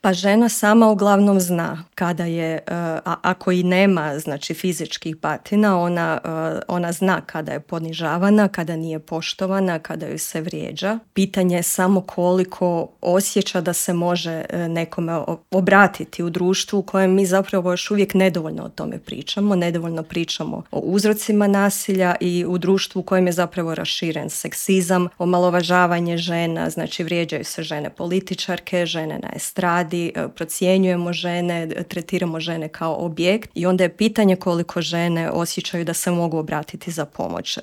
Pa žena sama uglavnom zna kada je, ako i nema znači fizičkih batina, ona zna kada je ponižavana, kada nije poštovana, kada ju se vrijeđa. Pitanje je samo koliko osjeća da se može nekome obratiti u društvu u kojem mi zapravo još uvijek nedovoljno o tome pričamo, nedovoljno pričamo o uzrocima nasilja i u društvu u kojem je zapravo raširen seksizam, omalovažavanje žena, znači vrijeđaju se žene političarke, žene na estradi, procjenjujemo žene, tretiramo žene kao objekt i onda je pitanje koliko žene osjećaju da se mogu obratiti za pomoć.